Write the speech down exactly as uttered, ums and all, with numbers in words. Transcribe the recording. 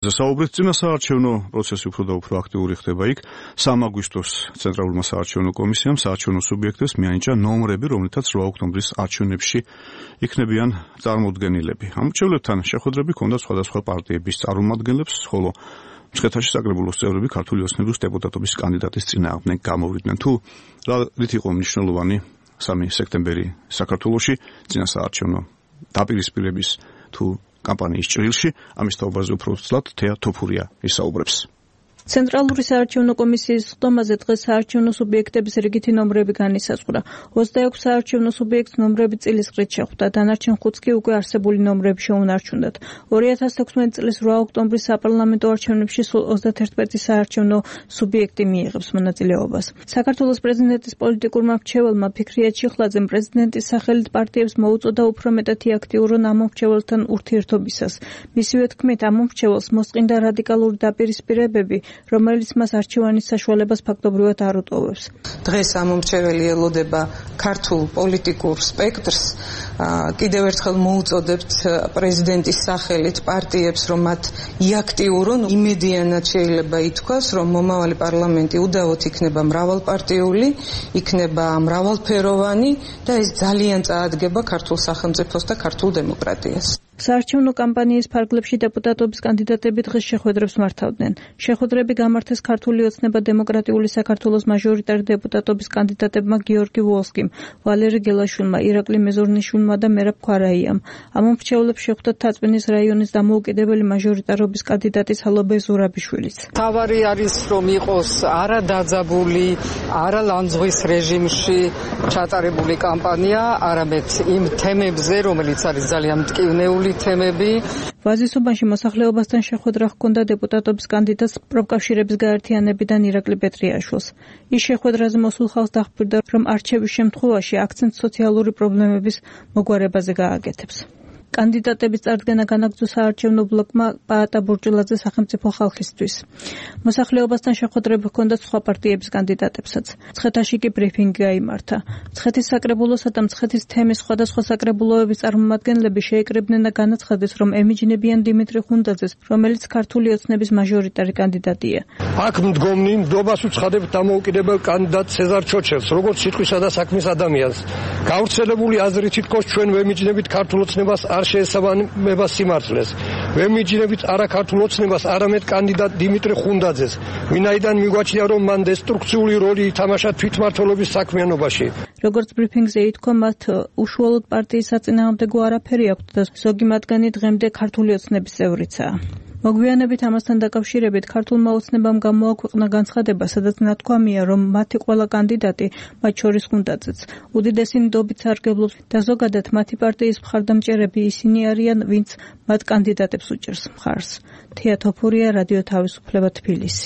საუბრით წინა საარჩევნო პროცესი უფრო და უფრო აქტიური ხდება იქ. სამი აგვისტოს ცენტრალურმა საარჩევნო კომისიამ საარჩევნო სუბიექტებს მიანიჭა ნომრები, რომლითაც რვა ოქტომბრის არჩევნებში იქნებიან წარმოუდგენილები. ამ მრჩევლებთან შეხვედრები ჰქონდა სხვადასხვა პარტიების წარმომადგენლებს, ხოლო მცხეთაში საკრებულოს წევრები ქართული ოცნების დეპუტატობის კანდიდატის წინააღმდეგ გამოვიდნენ. თუ რა რით იყო მნიშვნელოვანი სამი სექტემბერი საქართველოში წინა საარჩევნო დაპირისპირების თუ კამპანიის ჭრილში, ამის თაობაზე უფრო ცლად თეა თოფურია ისაუბრებს. ცენტრალური საარჩევნო კომისიის ხდომაზე დღეს საარჩევნო სუბიექტების რიგითი ნომრები განისაზღვრა. ოცდაექვსი საარჩევნო სუბიექტს ნომრები წილისყრით შეხვდა, დანარჩენ ხუთს კი უკვე არსებული ნომრები შეუნარჩუნდათ. ორი ათას თექვსმეტი წლის რვა ოქტომბრის საპარლამენტო არჩევნებში სულ ოცდათერთმეტი საარჩევნო სუბიექტი მიიღებს მონაწილეობას. საქართველოს პრეზიდენტის პოლიტიკურმა მრჩეველმა ფიქრია ჩიხლაძემ პრეზიდენტის სახელით პარტიებს მოუწოდა უფრო მეტად აქტიურონ ამ მრჩეველთან ურთიერთობისას. მისივე თქმით, ამ მრჩეველს მოსყინდა რადიკალური დაპირისპირებები, რომელიც მას არჩევანის საშუალებას ფაქტობრივად არ უტოვებს. დღეს ამ მრჩეველი ელოდება ქართულ პოლიტიკურ სპექტრს, კიდევ ერთხელ მოუწოდებთ პრეზიდენტის სახელით პარტიებს, რომ მათ იაქტიურონ, იმედიანად შეიძლება ითქვას, რომ მომავალი პარლამენტი უდავოდ იქნება მრავალპარტიული, იქნება მრავალფეროვანი და ეს ძალიან წაადგება ქართულ სახელმწიფოს და ქართულ დემოკრატიას. საარჩევნო კამპანიის ფარგლებში დეპუტატობის კანდიდატები დღეს შეხვედრებს მართავდნენ. შეხვედრები გამართეს ქართული ოცნება დემოკრატიული საქართველოს მაჟორიტარი დეპუტატობის კანდიდატებმა გიორგი ვოლსკიმ, ვალერი გელაშვილმა, ირაკლი მეზურნიშვილმა და მერაბ ქვარაიამ. ამ მრჩევლებს შეხვდათ თაწმინის რაიონის დამოუკიდებელი მაჟორიტარობის კანდიდატი სალობე ზურაბიშვილიც. თავარი არის რომ იყოს არა დაძაბული, არა ლანძღვის რეჟიმში ჩატარებული კამპანია, არამედ იმ თემებზე, რომელიც არის ძალიან მტკივნეული თემები. ვაზისუბანში მოსახლეობასთან შეხვედრა ჰქონდა დეპუტატობის კანდიდატს პროფკავშირების გაერთიანებიდან ირაკლი პეტრიაშვილს. ის შეხვედრაზე მოსულ ხალხს დახბირდა, რომ არჩევის შემთხვევაში აქცენტს სოციალური პრობლემების მოგვარებაზე გააკეთებს. კანდიდატების წარდგენა განაგრძო საარჩევნო ბლოკმა პაატა ბურჭულაძე სახელმწიფო ხალხისთვის. მოსახლეობასთან შეხვედრები ჰქონდა სხვა პარტიების კანდიდატებსაც. მცხეთაში კი ბრიფინგი გაიმართა. მცხეთის საკრებულოსა და მცხეთის თემის სხვადასხვა საკრებულოების წარმომადგენლები შეეკრიბნენ და განაცხადეს, რომ ემიჯნებიან დიმიტრი ხუნდაძეს, რომელიც ქართული ოცნების მაჟორიტარი კანდიდატია. აქ მდგომნი ნდობას უცხადებთ დამოუკიდებელ კანდიდატ სეზარ ჩოჩელს, როგორც სიტყვისა და საქმის ადამიანს. გავრცელებული აზრით თითქოს ჩვენ ვემიჯნებით ქართულ ოცნებას არ შეესაბამება სიმართლეს. ვემიჯნებით არა ქართულ ოცნებას, არამედ კანდიდატ დიმიტრი ხუნდაძეს, ვინაიდან მიგვაჩნია, რომ მან დესტრუქციული როლი ითამაშა თვითმმართველობის საქმიანობაში. როგორც ბრიფინგზე ითქვა, მათ უშუალოდ პარტიის საწინააღმდეგო არაფერი აქვთ და ზოგი მათგანი დღემდე ქართული ოცნების წევრიცაა. მოგვიანებით ამასთან დაკავშირებით ქართულმა ოცნებამ გამოაქვეყნა განცხადება, სადაც ნათქვამია, რომ მათი ყველა კანდიდატი, მათ შორის ხუნდაძეც, უდიდესი ნდობით სარგებლობს და ზოგადად მათი პარტიის მხარდამჭერები ისინი არიან, ვინც მათ კანდიდატებს უჭერს მხარს. თეა თოფურია, რადიო თავისუფლება, თბილისი.